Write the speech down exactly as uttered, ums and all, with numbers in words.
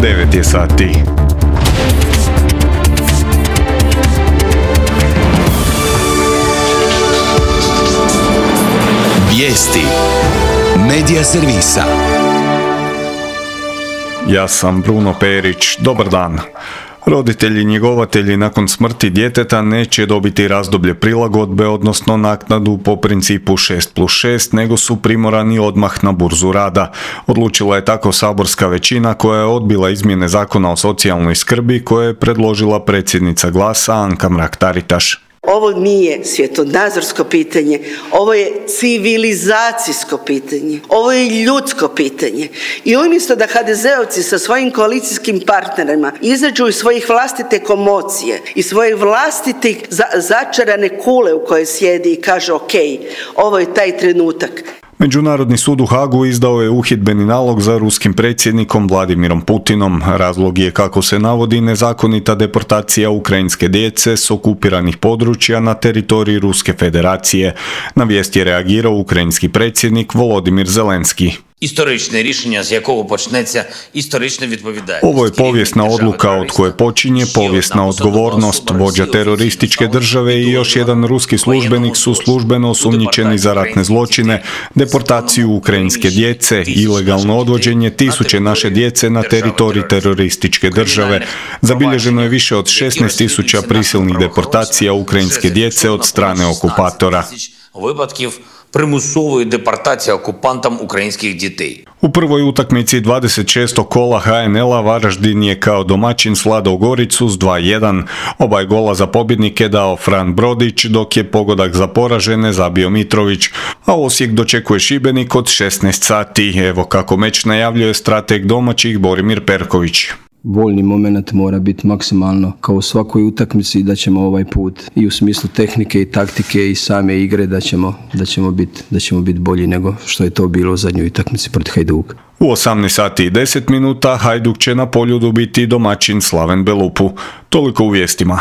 devet je sati. Vijesti Medija servisa. Ja sam Bruno Perić. Dobar dan. Roditelji njegovatelji nakon smrti djeteta neće dobiti razdoblje prilagodbe, odnosno naknadu po principu šest plus šest, nego su primorani odmah na burzu rada. Odlučila je tako saborska većina koja je odbila izmjene Zakona o socijalnoj skrbi koje je predložila predsjednica Glasa Anka Mrak-Taritaš. Ovo nije svjetonazorsko pitanje, ovo je civilizacijsko pitanje, ovo je ljudsko pitanje. I umjesto da ha de zeovci sa svojim koalicijskim partnerima izađu iz svojih vlastite komocije i svoje vlastite za- začarane kule u kojoj sjedi i kaže ok, ovo je taj trenutak. Međunarodni sud u Hagu izdao je uhidbeni nalog za ruskim predsjednikom Vladimirom Putinom. Razlog je, kako se navodi, nezakonita deportacija ukrajinske djece s okupiranih područja na teritoriji Ruske federacije. Na vijest je reagirao ukrajinski predsjednik Volodimir Zelenski. Історичне рішення, з якого почнеться історична відповідальність. Ovo je povijesna odluka od koje počinje povijesna odgovornost. Vođa terorističke države i još jedan ruski službenik su službeno osumnjičeni za ratne zločine, deportaciju ukrajinske djece, ilegalno odvođenje tisuće naše djece na teritorij terorističke države. Zabilježeno je više od šesnaest tisuća prisilnih deportacija ukrajinske djece od strane okupatora. Випадків примусової депортації окупантам українських дітей. U prvoj utakmici dvadeset šestog kola ha en el-a Varaždin je kao domaćin svladao Goricu s dva jedan. Oba je gola za pobjednike dao Fran Brodić, dok je pogodak za poražene zabio Mitrović, a Osijek dočekuje Šibenik od šesnaest sati. Evo kako meč najavljuje strateg domaćih Borimir Perković. Voljni moment mora biti maksimalno kao u svakoj utakmici, da ćemo ovaj put i u smislu tehnike i taktike i same igre da ćemo, da ćemo biti da ćemo biti bolji nego što je to bilo u zadnjoj utakmici protiv Hajduka. U osamnaest sati i deset minuta Hajduk će na Poljudu biti domaćin Slaven Belupu. Toliko u vijestima.